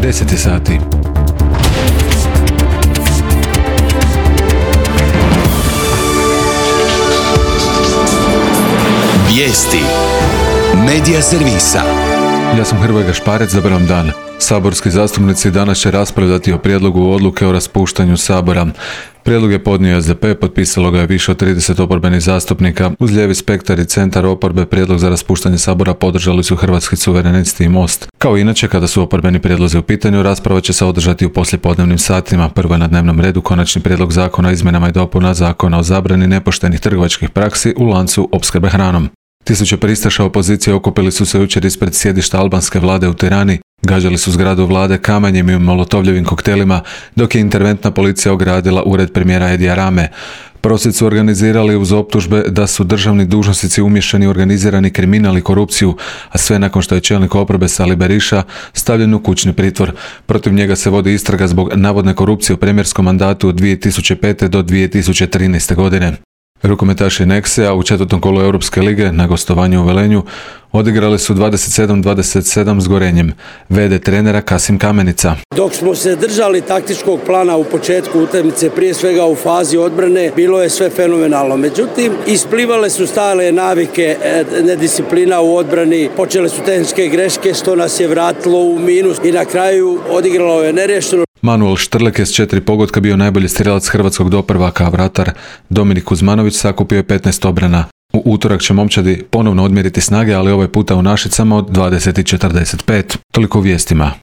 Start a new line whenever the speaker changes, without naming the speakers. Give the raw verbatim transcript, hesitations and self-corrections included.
deset je sati.
Vijesti Medija servisa.
Ja sam Hrvoje Gašparec, dobar vam dan. Saborski zastupnici danas će raspravljati o prijedlogu odluke o raspuštanju Sabora. Prijedlog je podnio S D P, potpisalo ga je više od trideset oporbenih zastupnika. Uz lijevi spektar i centar oporbe prijedlog za raspuštanje Sabora podržali su Hrvatski suverenisti i Most. Kao inače, kada su oporbeni prijedlozi u pitanju, rasprava će se održati u poslijepodnevnim satima. Prvo je na dnevnom redu Konačni prijedlog zakona o izmjenama i dopuna Zakona o zabrani nepoštenih trgovačkih praksi u lancu opskrbe hranom. Tisuće pristaša opozicije okupili su se jučer ispred sjedišta albanske vlade u Tirani, gađali su zgradu vlade kamenjem i molotovljevim koktelima, dok je interventna policija ogradila ured premijera Edija Rame. Prosvjed su organizirali uz optužbe da su državni dužnosnici umiješani u organizirani kriminal i korupciju, a sve nakon što je čelnik oporbe Sali Beriša stavljen u kućni pritvor. Protiv njega se vodi istraga zbog navodne korupcije u premijerskom mandatu od dvije tisuće pete do dvije tisuće trinaeste. godine. Rukometaši Nexea u četvrtom kolu Europske lige na gostovanju u Velenju odigrali su dvadeset sedam dvadeset sedam s Gorenjem. V D trenera Kasim Kamenica.
Dok smo se držali taktičkog plana u početku utakmice, prije svega u fazi odbrane, bilo je sve fenomenalno. Međutim, isplivale su stale navike, nedisciplina u odbrani, počele su tehničke greške, što nas je vratilo u minus i na kraju odigralo je nerješeno.
Manuel Štrlek je s četiri pogotka bio najbolji strjelac hrvatskog doprvaka, a vratar Dominik Kuzmanović sakupio je petnaest obrana. U utorak će momčadi ponovno odmjeriti snage, ali ovaj puta u Našicama od dvadeset četrdeset pet. Toliko u vijestima.